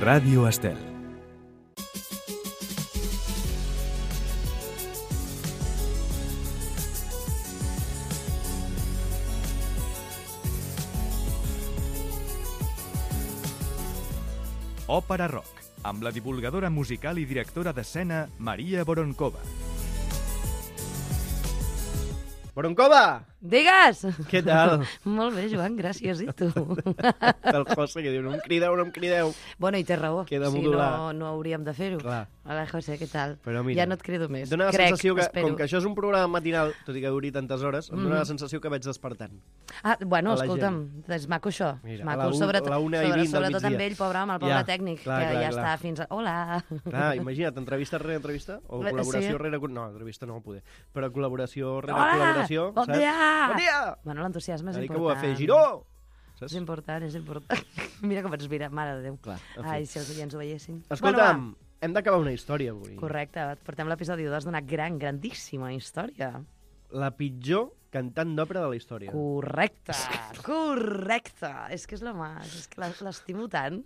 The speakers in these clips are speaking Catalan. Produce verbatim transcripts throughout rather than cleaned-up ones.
Ràdio Estel. Òpera Rock, amb la divulgadora musical i directora d'escena Maria Voronkova. Voronkova! Digues! Què tal? Molt bé, Joan, gràcies. I tu? El José que diu, no em crideu, no em crideu. Bueno, i té raó. Queda si modular. no, no hauríem de fer-ho. Clar. Hola, José, què tal? Però mira, ja no et crido més. Dóna la Crec, sensació que, espero. com que això és un programa matinal, tot i que duri tantes hores, em dóna Mhm. la sensació que vaig despertant. Ah, bueno, a la escolta'm, és maco això. Mira, maco, a la un- sobretot, la una i sobre, vint del sobretot amb migdia. ell, pobre, amb el pobre Ja, tècnic, clar, que clar, ja clar. està fins a... Hola! Clar, imagina't, entrevista rere entrevista, o Sí. col·laboració rere... No, entrevista no ho poder, però col·laboració rere Hola! col·laboració, Bon saps? dia! Bon dia! Bueno, l'entusiasme és Ara que important. ho va fer Giró! És important, és important. Mira com ens mira, mare de Déu. Clar, en fi. Ai, si els oients ho veiessin. Escolta'm, Bueno, hem d'acabar una història avui. va. Correcte, portem l'episodi dos d'una gran, grandíssima història. La pitjor cantant d'òpera de la història. Correcte, correcte. És que és la mà, és que la- l'estimo tant.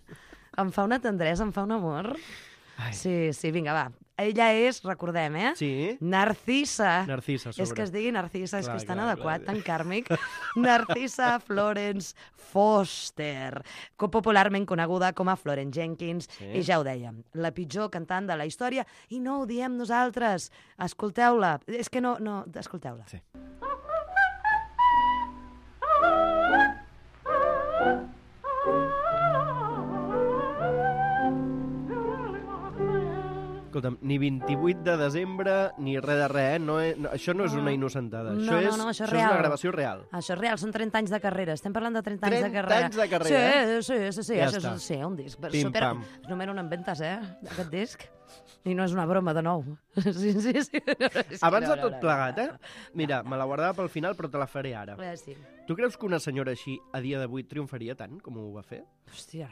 Em fa una tendresa, em fa un amor. Ai. Sí, sí, vinga, va. Ella és, recordem, eh? Sí? Narcisa. Narcisa, a sobre. És que es digui Narcisa, és Clar, que és tan clar, adequat, clar. tan kàrmic. Narcisa Florence Foster, co- popularment coneguda com a Florence Jenkins, Sí. i ja ho dèiem, la pitjor cantant de la història, i no ho diem nosaltres. Escolteu-la. És que no, no, escolteu-la. Sí. Escolta'm, ni vint-i-vuit de desembre, ni res de res, eh? No és, no, això no és una innocentada. No, això no, és, no, això és és real. una gravació real. Això és real, són trenta anys de carrera. Estem parlant de trenta, anys de trenta carrera. anys de carrera, Sí, sí, sí, sí. Ja això està. és sí, un disc. Pim, Super, pam. és número un en ventes, eh, aquest disc. I no és una broma, de nou. Sí, sí, sí. És que Abans no, de no, tot no, plegat, no, eh? Mira, me la guardava pel final, però te la faré ara. no. Eh, sí. Tu creus que una senyora així, a dia d'avui, triomfaria tant com ho va fer? Hòstia.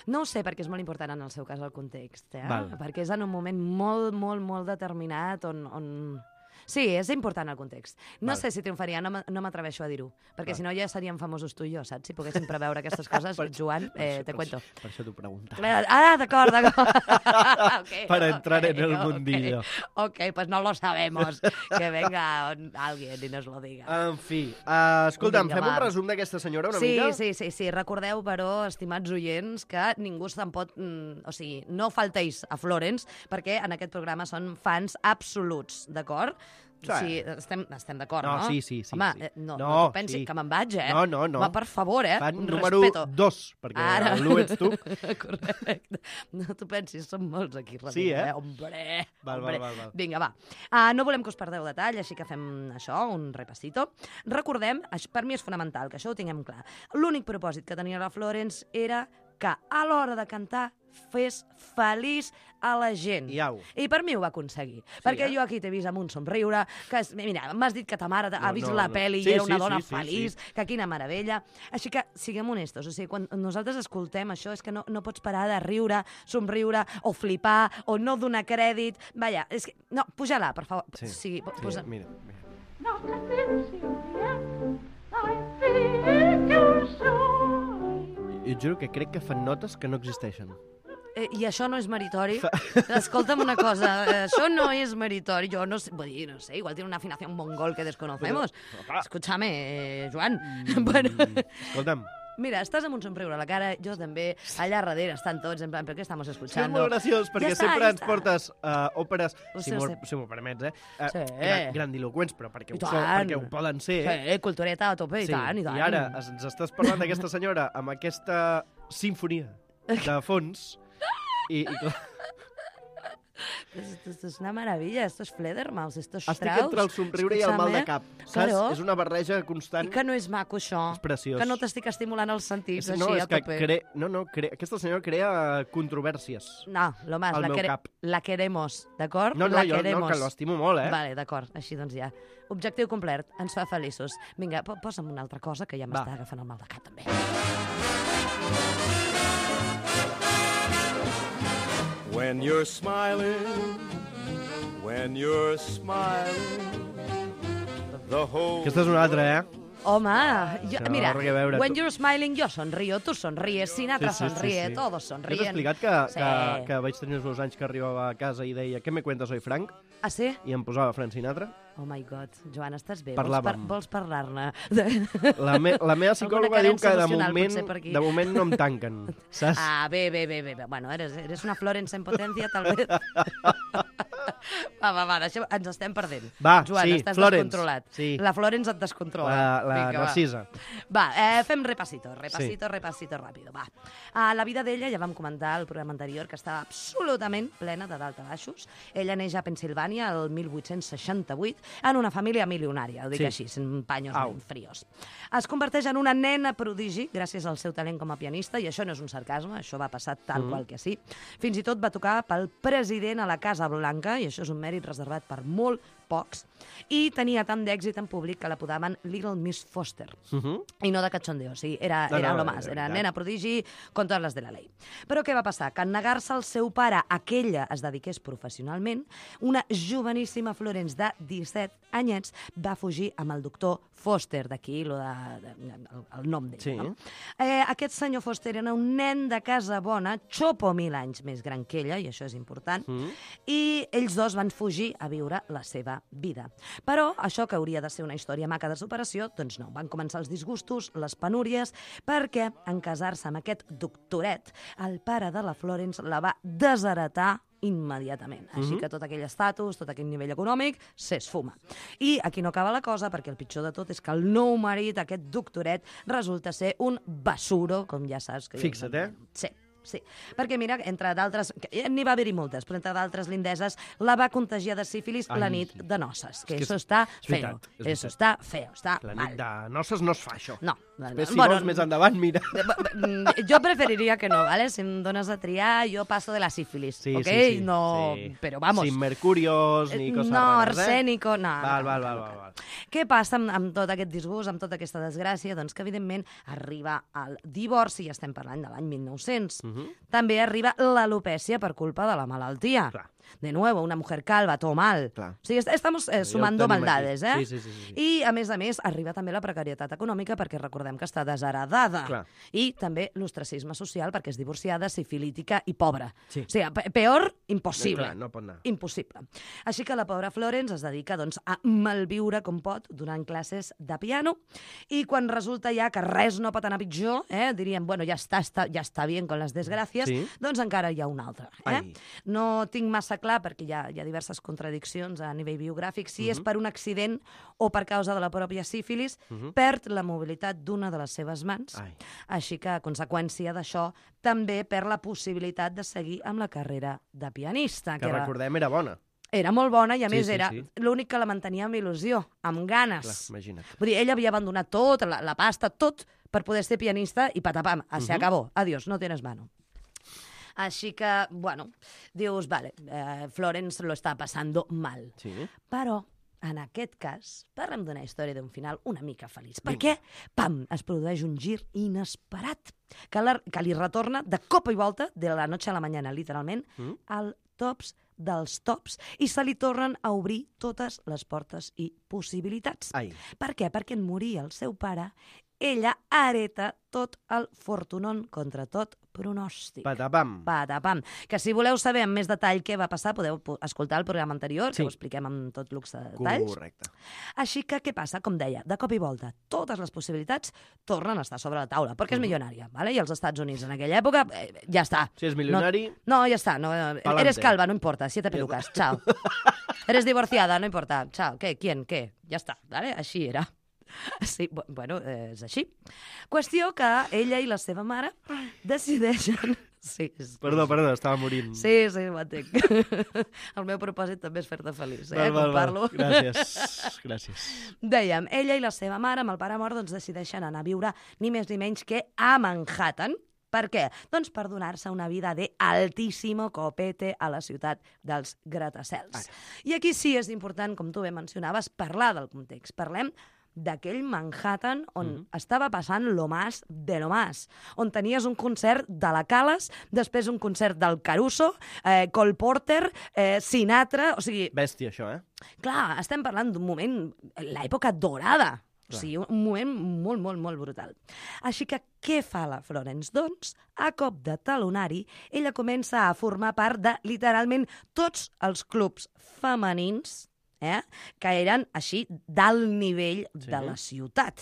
No ho sé, perquè és molt important en el seu cas el context, eh? Val. Perquè és en un moment molt, molt, molt determinat on... on... Sí, és important el context. No Val. sé si triomfaria, no m'a- no m'atreveixo a dir-ho, perquè Val. si no ja seríem famosos tu i jo, saps? Si poguéssim preveure aquestes coses, Per- Joan, per eh, això- te per cuento. això- Per això t'ho preguntava. Eh, Ah, d'acord, d'acord. Okay, Para entrar en el ok, mundillo. Ok, pues no lo sabemos. Que venga alguien y nos lo diga. En fi, uh, escolta'm, Vinga, fem un va. resum d'aquesta senyora una Sí, mica? sí, sí, sí. Recordeu, però, estimats oients, que ningú se'n pot... Mm, o sigui, no falteis a Florence, perquè en aquest programa són fans absoluts, d'acord? Sí. O sigui, estem, estem d'acord, No, no? sí, sí, sí, Home, sí. eh, no, No, no, tu pensi sí. que me'n vaig, eh? No, no, no. Home, per favor, eh? Fan Un número respeto. dos, perquè Ara. l'u ets tu. Correcte. No t'ho pensis, som molts aquí darrere, Sí, eh? Hombre, Val, hombre. val, val, val. Vinga, va. Uh, no volem que us perdeu detall, així que fem això, un repassito. Recordem, això, per mi és fonamental, que això ho tinguem clar. L'únic propòsit que tenia la Florence era que a l'hora de cantar fes feliç a la gent. Iau. I per mi ho va aconseguir. Sí, perquè eh? jo aquí t'he vist amb un somriure, que, és- mira, m'has dit que ta mare ha No, vist no, la no. pel·li Sí, i era una sí, dona sí, sí, feliç, sí. que quina meravella. Així que siguem honestos, o sigui, quan nosaltres escoltem això és que no, no pots parar de riure, somriure o flipar o no donar crèdit. Vaja, és que... No, puja-la, per favor. Sí, sí, po- sí, posa... mira, mira. Not a minute, I think you're so. Jo et juro que crec que fan notes que no existeixen. Eh, I això no és meritori. Escolta'm una cosa, eh, això no és meritori. Jo no sé, vull dir, no sé, igual tiene una afinación mongol que desconocemos. Però, clar. Escúchame, eh, Joan. Bueno, Escolta'm, mira, estàs amb un somriure a la cara, jo també, allà darrere estan tots, en plan, ¿per què estamos sí, és escuchando? molt graciós, perquè Ja està, sempre ja ens està. portes uh, òperes, Ho si sé, ho m'ho sé. si m'ho permets, eh? Uh, Sí. gran, grandiloquents, però perquè I ho, són, tant. perquè ho poden ser. eh? Sí, cultureta a tope, i tant, i tant. I ara es- ens estàs parlant d'aquesta senyora amb aquesta sinfonia de fons i, i clar, Esto, esto es una maravilla, esto es Fledermaus, esto es estic Strauss. entre el somriure i el mal de cap. Saps? Claro. És una barreja constant. I que no és maco, això. És preciós. Que no t'estic estimulant els sentits, És- així, no, és a que tope. cre... no, no, cre... aquesta senyora crea controvèrsies. No, lo más, al la, meu quere... cap. la queremos, d'acord? No, no, la jo queremos. no, que l'estimo molt, eh? Vale, d'acord, així doncs ja. Objectiu complert, ens fa feliços. Vinga, po posa'm una altra cosa, que ja m'està agafant el mal de cap, també. When you're smiling, when you're smiling, the whole Aquesta és una altra, eh? Home, jo, Això, mira, res a veure, when tu- you're smiling, jo sonrío, tu sonríes, Sinatra Sí, sí, sí, sonríe, sí. todos Jo t'he sonríen. explicat que, Sí. que, que vaig tenir els meus anys que arribava a casa i deia «Què me cuentas hoy, Frank?» Ah, sí? i em posava Frank Sinatra. Oh my God, Joan, estàs bé? Parlàvem. Vols, par vols parlar-ne? La, me, la meva psicòloga diu que de emocional, moment, potser, per aquí. de moment no em tanquen, saps? Ah, bé, bé, bé, bé. bé. Bueno, eres, eres una Florence en potència, tal vez. Va, va, va, deixem, ens estem perdent. Va, Joan, sí, estàs Florence, descontrolat. sí. La Florence et descontrola. La, la Vinga, va. Narcisa. Va, eh, fem repasito, repasito, sí. repasito ràpido, va. Uh, la vida d'ella, ja vam comentar al programa anterior, que estava absolutament plena de dalt a baixos. Ella neix a Pensilvània el mil vuit-cents seixanta-vuit en una família milionària, ho dic Sí. així, en paños Au. ben frios. Es converteix en una nena prodigi gràcies al seu talent com a pianista, i això no és un sarcasme, això va passar tal Mm. qual que sí. Fins i tot va tocar pel president a la Casa Blanca, i això és un mèrit reservat per molt pocs, i tenia tant d'èxit en públic que l'apodaven Little Miss Foster. Uh -huh. I no de cachondeo, o sigui, era, No, era no, lo de más, era veritat. nena prodigi con totes les de la llei. Però què va passar? Que en negar-se al seu pare a que ella es dediqués professionalment, una joveníssima Florence de disset anyets va fugir amb el doctor Foster, d'aquí lo de, de, el, el nom d'ell. Sí. No? Eh, aquest senyor Foster era un nen de casa bona, xopo mil anys més gran que ella, i això és important, Mm. i ells dos van fugir a viure la seva vida. Però això, que hauria de ser una història maca de superació, doncs no. Van començar els disgustos, les penúries, perquè en casar-se amb aquest doctoret, el pare de la Florence la va desheretar immediatament. Així Mhm. que tot aquell estatus, tot aquell nivell econòmic, s'esfuma. I aquí no acaba la cosa, perquè el pitjor de tot és que el nou marit, aquest doctoret, resulta ser un basuro, com ja saps. Que Fixa't, eh? Sí. Sí, perquè mira, entre d'altres, que n'hi va haver-hi moltes, però entre d'altres lindeses, la va contagiar de sífilis Ai. la nit de noces, que És que eso és- està és feo, veritat, és eso veritat. està feo, està La mal. nit de noces no es fa, això. No. Després, si Bueno, vols més endavant, mira. Mm, Jo preferiria que no, ¿vale? Si em dones a triar, jo passo de la sífilis, Sí, ¿ok? sí, sí. No, sí. però vamos. Sin mercurios ni Eh, coses no, rares, eh? arsénico, no. Val, no, val, no, val, no, val, no. val. Què passa amb, amb tot aquest disgust, amb tota aquesta desgràcia? Doncs que, evidentment, arriba el divorci, ja estem parlant de l'any mil nou-cents. Mhm. També arriba l'alopècia per culpa de la malaltia. Clar. De nuevo, una mujer calva, todo mal. Clar. O sigui, est- estamos eh, Ja ho sumando tenim maldades, aquí. eh? Sí, sí, sí, sí, sí. I, a més a més, arriba també la precarietat econòmica, perquè recordem que està desheredada. Clar. I també l'ostracisme social, perquè és divorciada, sifilítica i pobra. Sí. O sigui, pe- peor, impossible. Clar, no pot anar. Impossible. Així que la pobra Florence es dedica doncs, a malviure com pot donant classes de piano, i quan resulta ja que res no pot anar pitjor, eh, diríem, bueno, ja està, està, ja està bien con les desgràcies, Sí. doncs encara hi ha una altra. Eh? Ai. No tinc massa clar, perquè hi ha, hi ha diverses contradiccions a nivell biogràfic, si Mhm. és per un accident o per causa de la pròpia sífilis, Mhm. perd la mobilitat d'una de les seves mans. Ai. Així que, a conseqüència d'això, també perd la possibilitat de seguir amb la carrera de pianista. Que que era, recordem, era bona. era molt bona i, a Sí, més, sí, era sí. l'únic que la mantenia amb il·lusió, amb Clar, ganes. imagina't. Vull dir, ella havia abandonat tot, la, la pasta, tot, per poder ser pianista i patapam, se Mhm. acabó. Adiós, no tienes mano. Així que, bueno, dius, vale, eh, Florence lo està passando mal. Sí. Però, en aquest cas, parlem d'una història d'un final una mica feliç. Perquè, pam, es produeix un gir inesperat que, la, que li retorna de cop i volta, de la noche a la mañana, literalment, Mm. al tops dels tops, i se li tornen a obrir totes les portes i possibilitats. Ai. Per què? Perquè en morir el seu pare, ella hereta tot el fortunon contra tot pronòstic. Patapam. Patapam. Que si voleu saber amb més detall què va passar, podeu po- escoltar el programa anterior, Sí. que ho expliquem amb tot luxe de detalls. Correcte. Així que, què passa? Com deia, de cop i volta, totes les possibilitats tornen a estar sobre la taula, perquè és milionària, ¿vale? I els Estats Units en aquella època, eh, ja està. Si és milionari... No, ja està. No, eh, Pa'lante. eres calva, no importa. Siete pelucas. Chao. Eres divorciada, no importa. Chao. ¿Qué? ¿Quién? ¿Qué? Ja està. ¿Vale? Així era. Sí, bu- bueno, eh, és així. Qüestió que ella i la seva mare decideixen... Sí, és... Perdó, perdó, estava morint. Sí, sí, ho entenc. El meu propòsit també és fer-te feliç, eh? Val, val, Com val. parlo. Gràcies. Gràcies. Dèiem, ella i la seva mare, amb el pare mort, doncs decideixen anar a viure ni més ni menys que a Manhattan. Per què? Doncs per donar-se una vida de altíssimo copete a la ciutat dels gratacels. I aquí sí és important, com tu bé mencionaves, parlar del context. Parlem d'aquell Manhattan on Mhm. estava passant lo más de lo más, on tenies un concert de la Calas, després un concert del Caruso, eh, Cole Porter, eh, Sinatra... O sigui, Bèstia, això, eh? clar, estem parlant d'un moment, l'època dorada O sigui, un moment molt, molt, molt brutal. Així que què fa la Florence? Doncs, a cop de talonari, ella comença a formar part de, literalment, tots els clubs femenins eh? que eren així d'alt nivell sí. de la ciutat.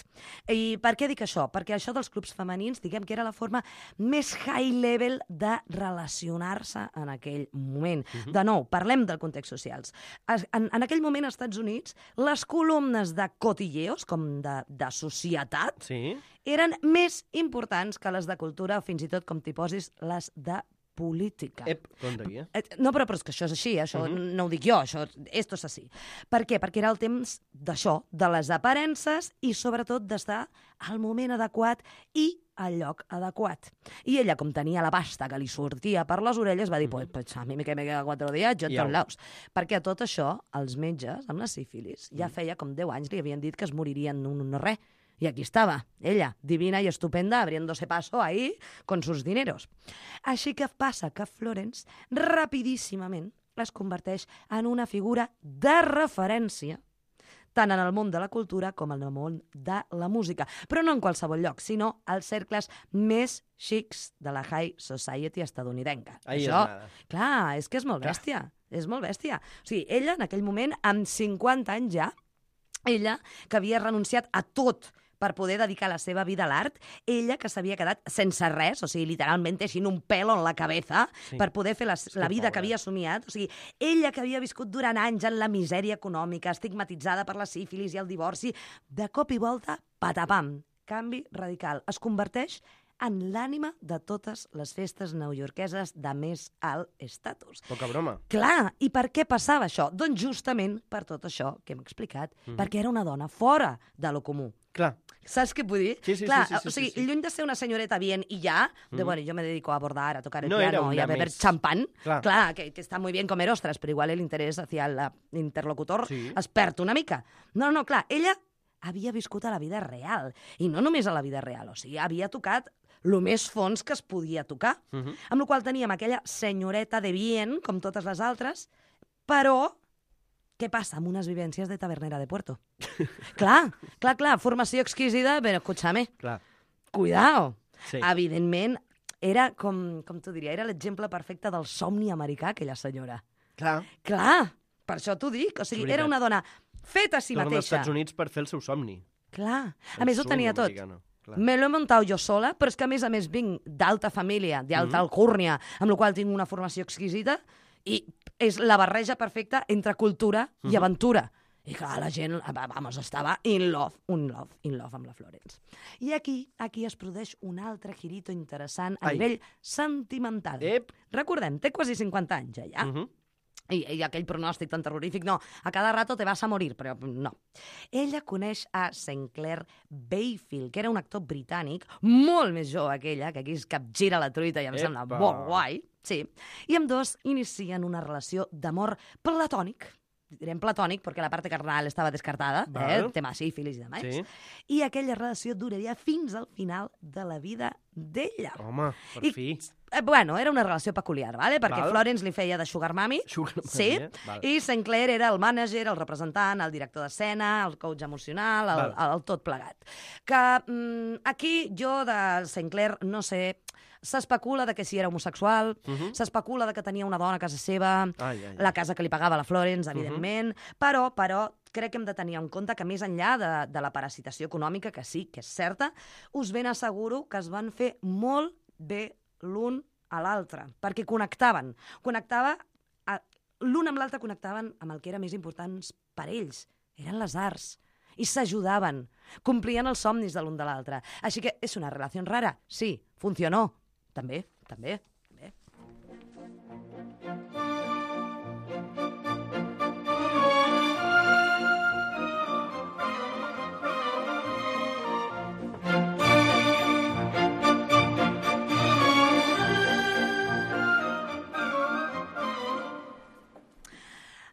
I per què dic això? Perquè això dels clubs femenins, diguem que era la forma més high level de relacionar-se en aquell moment. Uh-huh. De nou, parlem del context socials. En, en aquell moment, als Estats Units, les columnes de cotilleos, com de, de societat, sí. eren més importants que les de cultura, o fins i tot, com t'hi posis, les de política. Ep, compte aquí, eh? No, però, però és que això és així, això uh -huh. no ho dic jo, això, esto és així. Per què? Perquè era el temps d'això, de les aparences i, sobretot, d'estar al moment adequat i al lloc adequat. I ella, com tenia la pasta que li sortia per les orelles, va dir, pues, pues a mi que me queda quatre dies, jo en tots laus. Perquè a tot això, els metges, amb la sífilis, ja feia com deu anys li havien dit que es moririen en un no res. Y aquí estaba, ella, divina y estupenda, abriéndose paso ahí con sus dineros. Així que passa que Florence, rapidíssimament, es converteix en una figura de referència tant en el món de la cultura com en el món de la música. Però no en qualsevol lloc, sinó als cercles més xics de la high society estadounidenca. Ahí Això, és nada. Clar, és que és molt bèstia. Clar. És molt bèstia. O sigui, ella, en aquell moment, amb cinquanta anys ja, ella, que havia renunciat a tot per poder dedicar la seva vida a l'art, ella que s'havia quedat sense res, o sigui, literalment teixint un pelo en la cabeza sí. per poder fer la, la vida que havia somiat, o sigui, ella que havia viscut durant anys en la misèria econòmica, estigmatitzada per la sífilis i el divorci, de cop i volta, patapam, canvi radical, es converteix en l'ànima de totes les festes neoyorqueses de més alt estatus. Poca broma. Clar, i per què passava això? Doncs justament per tot això que hem explicat, mm. perquè era una dona fora de lo comú. Clar. Saps què vull dir? Sí, sí, Clar, sí, sí, sí, o sigui, sí, sí. lluny de ser una senyoreta bien y ya, de, mm. bueno, yo me dedico a abordar, a tocar el no piano y a beber més... champán, Clar, Clar que, que está muy bien comer ostras, però igual el interès hacia l'interlocutor sí. es perd una mica. No, no, clar, ella havia viscut a la vida real, i no només a la vida real, o sigui, havia tocat el més fons que es podia tocar, uh -huh. amb la qual teníem aquella senyoreta de bien, com totes les altres, però què passa amb unes vivències de tabernera de Puerto? clar, clar, clar, formació exquisida, però escúchame, clar. cuidao. Sí. Evidentment, era, com, com t'ho diria, era l'exemple perfecte del somni americà, aquella senyora. Clar. Clar, per això t'ho dic. O sigui, era una dona feta a si Torna mateixa. als Estats Units per fer el seu somni. Clar. A El més, ho tenia tot. americano. Clar. Me lo he montado jo sola, però és que, a més a més, vinc d'alta família, d'alta Mhm. alcúrnia, amb la qual tinc una formació exquisita, i és la barreja perfecta entre cultura i Mhm. aventura. I clar, la gent, vamos, estava in love, un love, in love amb la Florence. I aquí, aquí es produeix un altre girito interessant a Ai. nivell sentimental. Ep. Recordem, té quasi cinquanta anys ja, ja. Uh -huh. I, I aquell pronòstic tan terrorífic, no, a cada rato te vas a morir, però no. Ella coneix a Saint Clair Bayfield, que era un actor britànic, molt més jove que ella, que aquí es capgira la truita i em Epa. sembla molt guai, sí, i amb dos inicien una relació d'amor platònic, direm platònic perquè la part carnal estava descartada, Val. eh, el tema sífilis i demás, Sí. i aquella relació duraria fins al final de la vida d'ella. Home, per I, fi. Eh, bueno, era una relació peculiar, ¿vale? perquè Val. Florence li feia de sugar mami, Sugar mami, sí, eh? Val. i Saint Clair era el mànager, el representant, el director d'escena, el coach emocional, el, Val. el, el tot plegat. Que mm, aquí jo de Saint Clair no sé, s'especula de que si era homosexual, Uh -huh. s'especula de que tenia una dona a casa seva, Ai, ai, ai. la casa que li pagava la Florence, evidentment, uh -huh. però, però crec que hem de tenir en compte que més enllà de, de la parasitació econòmica, que sí, que és certa, us ben asseguro que es van fer molt bé l'un a l'altre, perquè connectaven. Connectava, a- l'un amb l'altre connectaven amb el que era més important per ells, eren les arts, i s'ajudaven, complien els somnis de l'un de l'altre. Així que és una relació rara, sí, funcionó, també, també, també.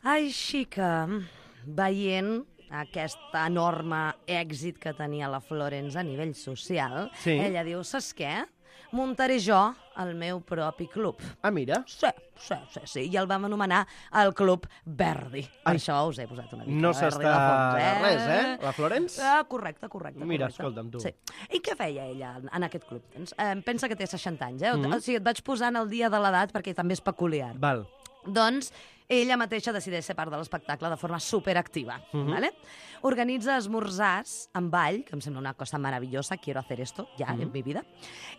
Així que, veient aquest enorme èxit que tenia la Florence a nivell social, Sí. ella diu, saps què? muntaré jo el meu propi club. Ah, mira. Sí, sí, sí, sí. I el vam anomenar el Club Verdi. Per Ai. això us he posat una mica No Verdi s'està de fons, eh? res, eh? La Florence? Ah, correcte, correcte. Mira, correcte. escolta'm, tu. Sí. I què feia ella en, en aquest club? Doncs, eh, pensa que té seixanta anys, eh? Mhm. O sigui, et vaig posant el dia de l'edat perquè també és peculiar. Val. Doncs ella mateixa decideix ser part de l'espectacle de forma superactiva. Mhm. ¿Vale? Organitza esmorzars amb ball, que em sembla una cosa maravillosa, quiero hacer esto ya Mhm. en mi vida,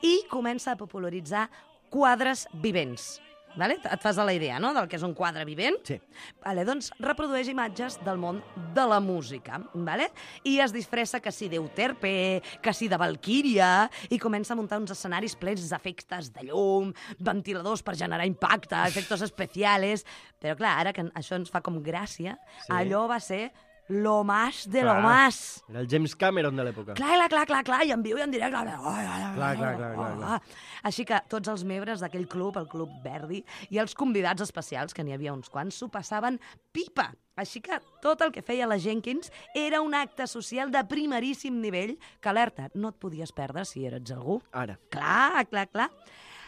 i comença a popularitzar quadres vivents. Vale? Et fas a la idea, no?, del que és un quadre vivent? Sí. Vale, doncs reprodueix imatges del món de la música, vale? I es disfressa que si d'Euterpe, que si de Valquíria, i comença a muntar uns escenaris plens d'efectes de llum, ventiladors per generar impacte, efectes especials... Però clar, ara que això ens fa com gràcia, Sí. allò va ser lo más de Clar. lo más. Era el James Cameron de l'època. Clar, clar, clar, clar, clar, i en viu i en directe. Clar, clar, clar, clar, clar. Així que tots els membres d'aquell club, el Club Verdi, i els convidats especials, que n'hi havia uns quants, s'ho passaven pipa. Així que tot el que feia la Jenkins era un acte social de primeríssim nivell que, alerta, no et podies perdre si eres algú. Ara. Clar, clar, clar.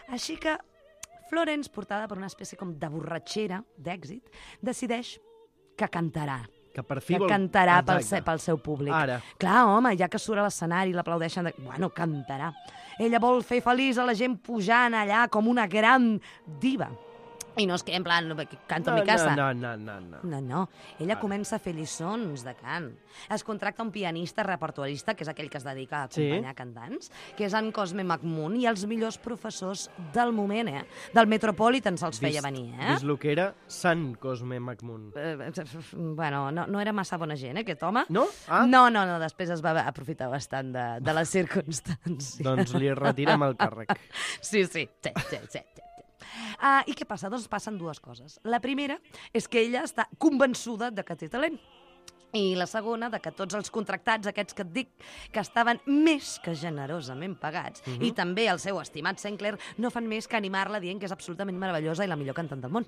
Així que Florence, portada per una espècie com de borratxera, d'èxit, decideix que cantarà. Que per fi Que vol... cantarà pel, Exacte. se, pel seu públic. Ara. Clar, home, ja que surt a l'escenari i l'aplaudeixen, de... bueno, cantarà. Ella vol fer feliç a la gent pujant allà com una gran diva. I no és que, en plan, canto No, en mi casa. no, no, no, no. No, no. Ella Ara. comença a fer lliçons de cant. Es contracta un pianista repertuarista, que és aquell que es dedica a Sí. acompanyar cantants, que és en Cosme McMoon, i els millors professors del moment, eh? Del Metropolitan se'ls feia venir, eh? Vist el que era Sant Cosme McMoon. Eh, bueno, no, no era massa bona gent, eh, aquest home. No? Ah. No, no, no, després es va aprofitar bastant de, de les circumstàncies. Doncs li retirem el càrrec. Sí, sí, sí, sí, sí. sí. Uh, I què passa? Doncs passen dues coses. La primera és que ella està convençuda de que té talent. I la segona, de que tots els contractats, aquests que et dic, que estaven més que generosament pagats, Mhm. i també el seu estimat Sinclair, no fan més que animar-la dient que és absolutament meravellosa i la millor cantant del món.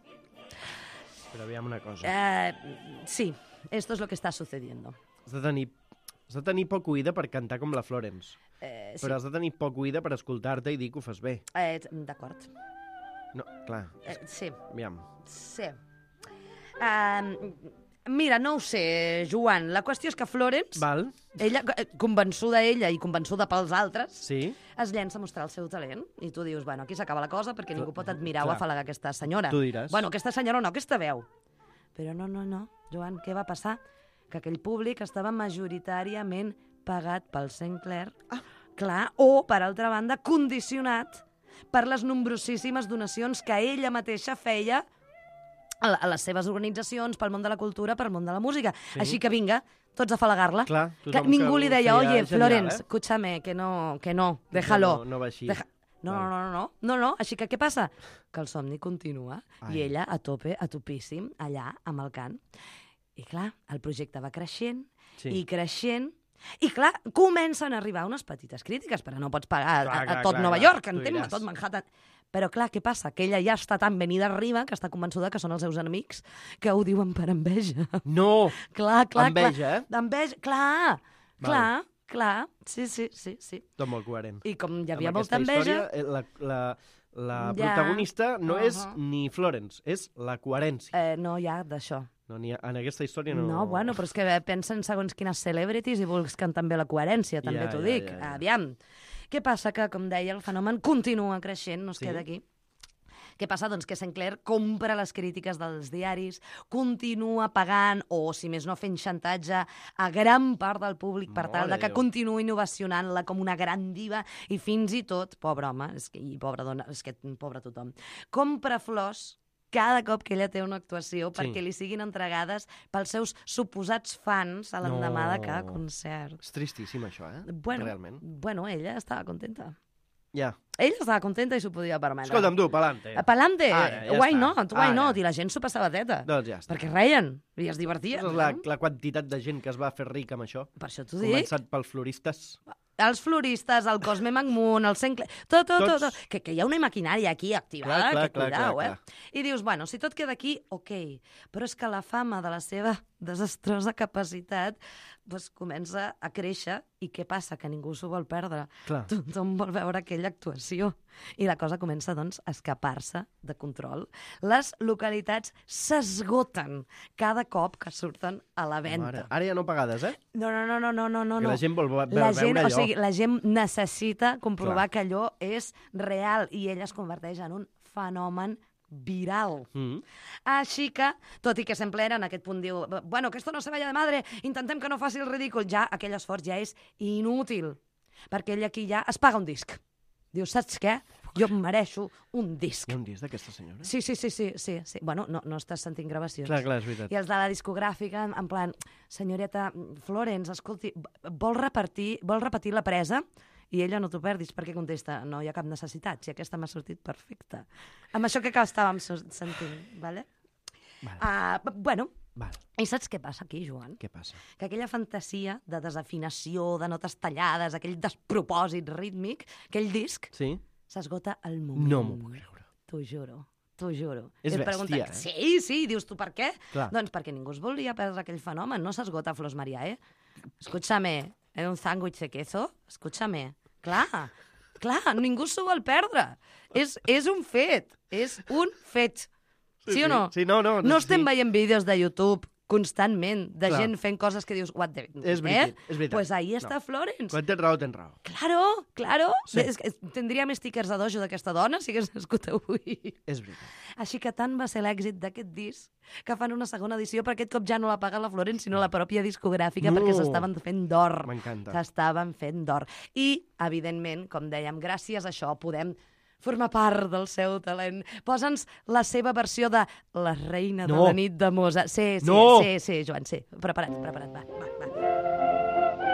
Però aviam una cosa. Uh, sí, esto es lo que está sucediendo. Has de tenir, has de tenir poc oïda per cantar com la Florence. Eh, sí, Però has de tenir poc oïda per escoltar-te i dir que ho fas bé. eh, d'acord. No, clar, Eh, sí, aviam. sí. Uh, mira, no ho sé, Joan. La qüestió és que Florence, Val? ella, eh, convençuda ella i convençuda pels altres, Sí? es llença a mostrar el seu talent. I tu dius, bueno, aquí s'acaba la cosa perquè Clar, ningú pot admirar o clar. afalagar aquesta senyora. Tu diràs. Bueno, aquesta senyora no, aquesta veu. Però no, no, no. Joan, què va passar? Que aquell públic estava majoritàriament pagat pel Sinclair. Ah. Clar, o, per altra banda, condicionat per les nombrosíssimes donacions que ella mateixa feia a, a les seves organitzacions, pel món de la cultura, pel món de la música. Sí. Així que vinga, tots a falagar-la. Clar, Que tothom ningú que li ho deia, feia oye, genial, Florence, eh?" escúchame, que no, que no, déjalo. No, no va així. Deja... No, Val. no, no, no, no, no, així que què passa? Que el somni continua Ai. i ella a tope, a topíssim, allà amb el cant. I clar, el projecte va creixent Sí. i creixent i clar, comencen a arribar unes petites crítiques, però no pots pagar Clar, a, a clar, tot clar, Nova clar, York, tu entens? A diràs. tot Manhattan. Però clar, què passa? Que ella ja està tan venida arriba que està convençuda que són els seus enemics que ho diuen per enveja. No! Clar, clar, Enveja, clar. eh? D'enveja, clar, Val. clar, clar. Sí, sí, sí, sí. Tot molt coherent. I com hi havia Amb molta aquesta enveja... història, eh, la, la, la Ja. protagonista no Uh-huh. és ni Florence, és la coherència. Eh, no hi ha d'això. No, ni ha, en aquesta història no... No, bueno, però és que pensen segons quines celebrities i busquen també la coherència, també Ja, t'ho ja, dic. ja, ja. Aviam. Què passa? Que, com deia, el fenomen continua creixent, no es Sí. queda aquí. Què passa? Doncs que Sinclair compra les crítiques dels diaris, continua pagant, o si més no fent xantatge, a gran part del públic per tal Mare de que Déu. continuï ovacionant-la com una gran diva i fins i tot, pobre home, és que, i pobra dona, és que pobre tothom, compra flors cada cop que ella té una actuació Sí. perquè li siguin entregades pels seus suposats fans a l'endemà No. de cada concert. És tristíssim, això, eh? Bueno, Realment. bueno, ella estava contenta. Ja. Ella estava contenta i s'ho podia permetre. Escolta'm, tu, pa'lante. Pa'lante, Ara, ja why està. not, why Ara. not? I la gent s'ho passava teta. Doncs ja està. Perquè reien i es divertien. És la, no? la quantitat de gent que es va fer rica amb això. Per això t'ho dic. Començat pels floristes. Els floristes, el Cosme McMoon, el Sinclair... Tot, tot, tot, Tots. tot. Que, que hi ha una maquinària aquí activada, Clar, clar, que clar, cuidao, clar, eh? I dius, bueno, si tot queda aquí, ok. Però és que la fama de la seva desastrosa capacitat pues, comença a créixer i què passa? Que ningú s'ho vol perdre. Clar. Tothom vol veure aquella actuació. I la cosa comença, doncs, a escapar-se de control. Les localitats s'esgoten cada cop que surten a la venda. Mare, ara ja no pagades, eh? No, no, no, no, no, no, no. Que la gent vol ve- la veure gent, allò. O sigui, la gent necessita comprovar Clar. que allò és real i ell es converteix en un fenomen viral. Mm. Així que, tot i que sempre era en aquest punt, diu, bueno, que esto no se vaya de madre, intentem que no faci el ridícul, ja aquell esforç ja és inútil, perquè ell aquí ja es paga un disc. Diu, saps què? Jo em mereixo un disc. Hi ha un disc d'aquesta senyora? Sí, sí, sí, sí, sí, sí. Bueno, no, no estàs sentint gravacions. Clar, clar, és veritat. I els de la discogràfica, en, en plan, senyoreta Florence, escolti, vol repetir, vol repetir la presa? I ella no t'ho perdis, perquè contesta, no hi ha cap necessitat, si aquesta m'ha sortit perfecta. Amb això que estàvem so- sentint, vale? Vale. Uh, bueno, Val. i saps què passa aquí, Joan? Què passa? Que aquella fantasia de desafinació, de notes tallades, aquell despropòsit rítmic, aquell disc, Sí? s'esgota al moment. No m'ho puc creure. T'ho juro, t'ho juro. És I et bèstia, pregunten, eh? Sí, sí, dius tu per què? Clar. Doncs perquè ningú es volia perdre aquell fenomen, no s'esgota Flors Maria, eh? Escúchame, en un sándwich de queso, escúchame. Clar, clar, ningú s'ho vol perdre. És, és un fet, és un fet. Sí, sí o no? Sí, no, no. No estem sí. veient vídeos de YouTube constantment de Clar. gent fent coses que dius, what the... És veritat, eh? és veritat. Pues ahí No. està Florence. Quan tens raó, tens raó. Claro, claro. Sí. És que tindria més stickers de dojo d'aquesta dona si hagués nascut avui. És veritat. Així que tant va ser l'èxit d'aquest disc que fan una segona edició, però aquest cop ja no la paga la Florence, sinó la pròpia discogràfica, No. perquè s'estaven fent d'or. M'encanta. S'estaven fent d'or. I, evidentment, com dèiem, gràcies a això podem formar part del seu talent. Posa'ns la seva versió de La reina No. de la nit de Mozart. Sí, sí, No. sí, sí, Joan, sí. Prepara't, prepara't, va, va, va.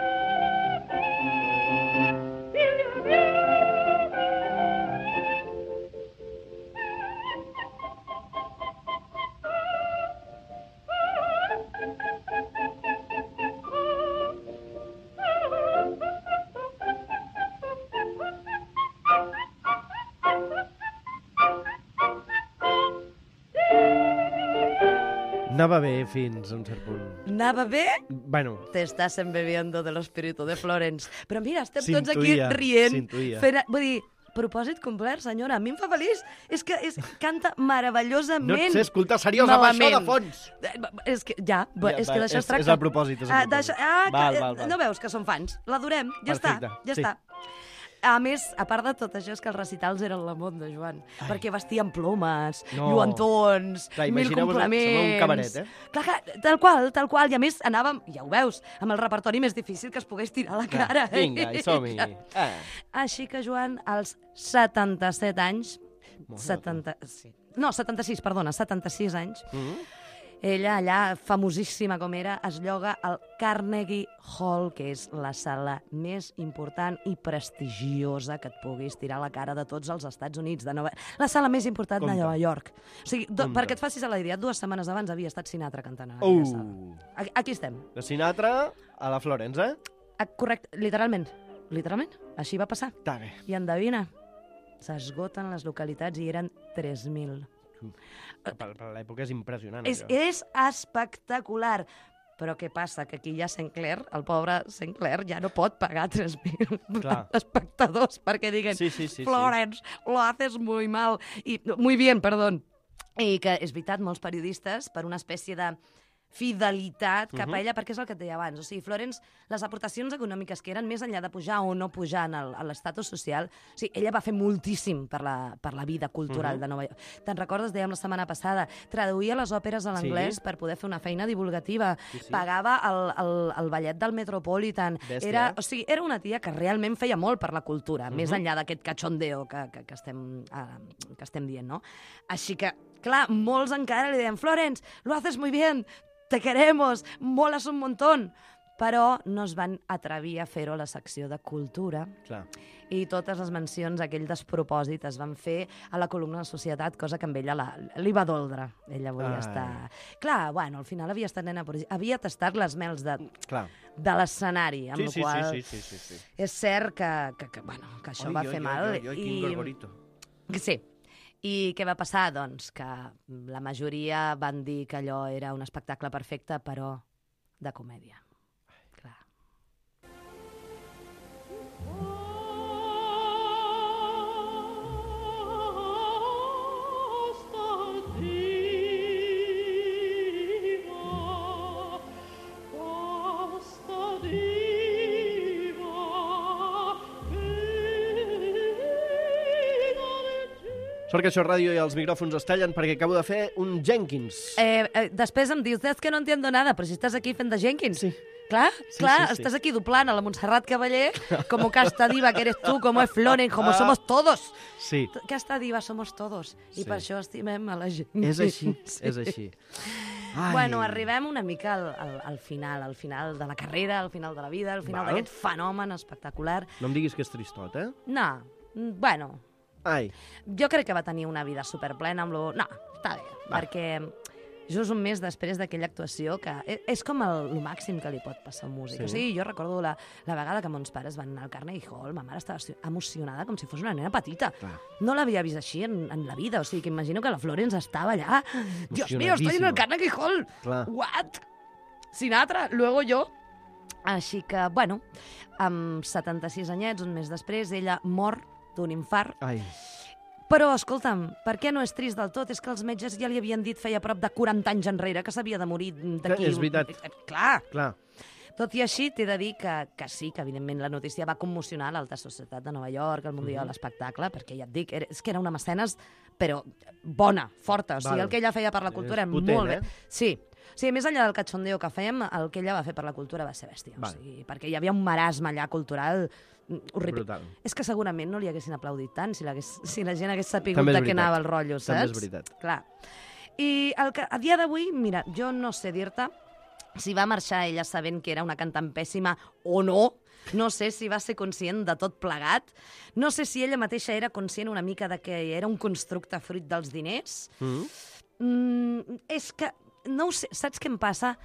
Anava bé fins a un cert punt. Anava bé? Bueno, Te estás embebiendo del espíritu de Florence. Però mira, estem tots aquí S'intuïa, rient. s'intuïa. Fent, vull dir, propòsit complert, senyora. A mi em fa feliç. És que és, canta meravellosament. no et sé escoltar seriós amb això de Malament. fons. Eh, És que, ja, ja és va, que d'això és- es tracta. és el propòsit, és el Ah, propòsit. d'això- ah, Val, que, val, val. No veus que som fans? L'adorem. Ja Perfecte, està, ja sí. està. A més, a part de tot això, és que els recitals eren la món de Joan. Ai. Perquè vestien plomes, No. lluentons, Clar, mil imagineu-vos, complements... sembla un cabaret, eh? Clar, clar, tal qual, tal qual. I a més, anàvem, ja ho veus, amb el repertori més difícil que es pogués tirar a la cara. Vinga, i som-hi. Eh. Així que, Joan, als setanta-set anys... Molt setanta, sí. No, setanta-sis, perdona, setanta-sis anys. Mm. Ella, allà, famosíssima com era, es lloga al Carnegie Hall, que és la sala més important i prestigiosa que et puguis tirar a la cara de tots els Estats Units. De Nova... La sala més important Compte. de Nova York. O sigui, do, Compte. perquè et facis a la idea, dues setmanes abans havia estat Sinatra cantant a aquella sala. Uh. Aquí, aquí estem. De Sinatra a la Florence, eh? Ah, correcte, literalment. Literalment. Així va passar. Està bé. I endevina, s'esgoten les localitats i eren tres mil. Per, per l'època és impressionant, És, això. és espectacular. Però què passa? Que aquí ja Saint Clair, el pobre Saint Clair, ja no pot pagar tres mil Clar. espectadors perquè diguen Sí, sí, sí, sí. Florence, lo haces muy mal. I, muy bien, perdó. I que és veritat, molts periodistes, per una espècie de fidelitat cap a ella, perquè és el que et deia abans. O sigui, Florence, les aportacions econòmiques que eren més enllà de pujar o no pujar en el, a l'estatus social, o sigui, ella va fer moltíssim per la, per la vida cultural de Nova York. Te'n recordes, dèiem la setmana passada, traduïa les òperes a l'anglès Sí. per poder fer una feina divulgativa, Sí, sí. pagava el, el, el ballet del Metropolitan. Bèstia, Era, eh? o sigui, era una tia que realment feia molt per la cultura, més enllà d'aquest cachondeo que, que, que, estem, uh, que estem dient, no? Així que, clar, molts encara li deien Florence, lo haces muy bien, te queremos, molas un montón. Però no es van atrevir a fer-ho a la secció de cultura Clar. i totes les mencions a aquell despropòsit es van fer a la columna de societat, cosa que amb ella la, li va doldre. Ella volia Ai. estar... Clar, bueno, al final havia estat nena... prodig- Havia tastat les mels de, Clar. de l'escenari, amb Sí, la sí, qual sí, sí, sí, sí. és cert que, que, que, bueno, que això Oi, va oi, fer oi, mal. oi, oi, quin gorgorito. Sí. I què va passar? Doncs que la majoria van dir que allò era un espectacle perfecte, però de comèdia. Clar. Sort que això és ràdio i els micròfons es tallen perquè acabo de fer un Jenkins. Eh, eh, després em dius, és que no entiendo nada, però si estàs aquí fent de Jenkins. Sí. Clar, Sí, clar, sí, sí. estàs aquí doblant a la Montserrat Caballé, como casta diva que eres tú, como es Floren, como somos todos. Sí, Casta diva somos todos. I Sí. per això estimem a la gent. és així, Sí. és així. Ai. Bueno, arribem una mica al, al, al final, al final de la carrera, al final de la vida, al final Val. d'aquest fenomen espectacular. No em diguis que és tristot, eh? No, mm, bueno, Ai, jo crec que va tenir una vida superplena amb lo... No, està bé, Va. perquè just un mes després d'aquella actuació, que e- és com el, el màxim que li pot passar a un músic. Sí. O sigui, jo recordo la, la vegada que mons pares van anar al Carnegie Hall, ma mare estava emocionada com si fos una nena petita. clar. No l'havia vist així en, en la vida, o sigui, que imagino que la Florence estava allà. Dios mío, estoy en el Emocionadíssima. Carnegie Hall. Clar. What? Sinatra, luego yo. Així que, bueno, amb setanta-sis anyets, un mes després, ella mor d'un infart. Ai, Però, escolta'm, per què no és trist del tot? És que els metges ja li havien dit feia prop de quaranta anys enrere que s'havia de morir d'aquí... Que és veritat. Eh, Clar. clar. Tot i així, t'he de dir que, que sí, que evidentment la notícia va commocionar l'alta societat de Nova York, el Mundial Mhm. de l'Espectacle, perquè ja et dic, era, és que era una mecenes, però bona, forta. O sigui, Val. el que ella feia per la cultura És era potent, molt bé. eh? Sí. O sigui, més enllà del cachondeo que fèiem, el que ella va fer per la cultura va ser bèstia. O Val. sigui, perquè hi havia un marasme allà cultural mm, horrible. Brutal. És que segurament no li haguessin aplaudit tant si, l'hagués- si la gent hagués sapigut També és de què veritat. anava el rotllo, saps? També és veritat. Clar. I el que, a dia d'avui, mira, jo no sé dir-te si va marxar ella sabent que era una cantant pèssima o no. No sé si va ser conscient de tot plegat. No sé si ella mateixa era conscient una mica de que era un constructe fruit dels diners. Mm? Mm, és que, no ho sé, saps què em passa?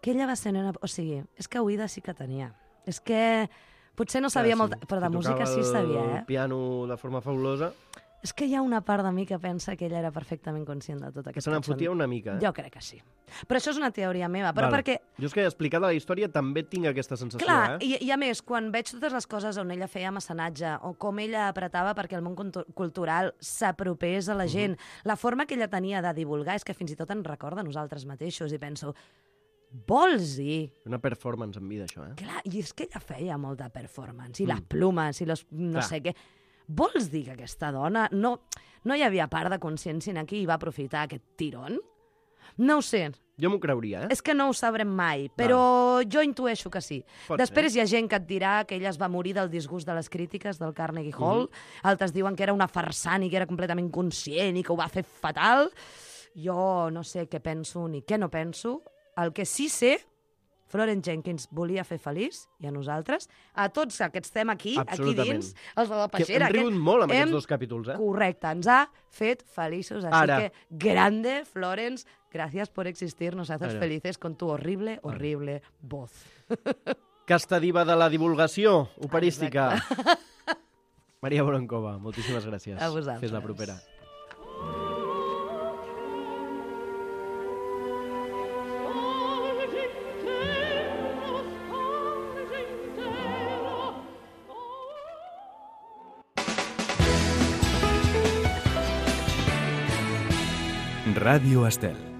Que ella va ser nena... O sigui, és que oïda sí que tenia. És que potser no sabia Clar, molt, sí. però de Si música tocava sí sabia, el eh? piano de forma fabulosa, És que hi ha una part de mi que pensa que ella era perfectament conscient de tot que aquest se n'en cachondeo. fotia una mica, eh? Jo crec que sí. Però això és una teoria meva, però Val. perquè... Jo és que explicada la història també tinc aquesta sensació, Clar, eh? i, i a més, quan veig totes les coses on ella feia mecenatge o com ella apretava perquè el món cultu- cultural s'apropés a la gent, la forma que ella tenia de divulgar és que fins i tot en recorda a nosaltres mateixos i penso, vols dir? Una performance en vida, això, eh? Clar, i és que ella feia molta performance, i Mm. les plumes, i los, no Clar. sé què. Vols dir que aquesta dona no, no hi havia part de consciència aquí i va aprofitar aquest tirón? No ho sé, Jo m'ho creuria, eh? és que no ho sabrem mai, però jo intueixo que sí. Pot Després hi ha gent que et dirà que ella es va morir del disgust de les crítiques del Carnegie Hall, altres diuen que era una farsant i que era completament conscient i que ho va fer fatal. Jo no sé què penso ni què no penso. El que sí sé, Florence Jenkins volia fer feliç, i a nosaltres, a tots que estem aquí, aquí Absolutament. dins, els de la Que peixera. hem rigut aquest, molt amb hem- aquests dos capítols, eh? Correcte, ens ha fet feliços. Així Ara. que, grande, Florence, gracias por existir, nos haces Ara. felices con tu horrible, horrible voz. Casta diva de la divulgació operística. Maria Boronkova, moltíssimes gràcies. A vosaltres. Fes la propera. Ràdio Estel.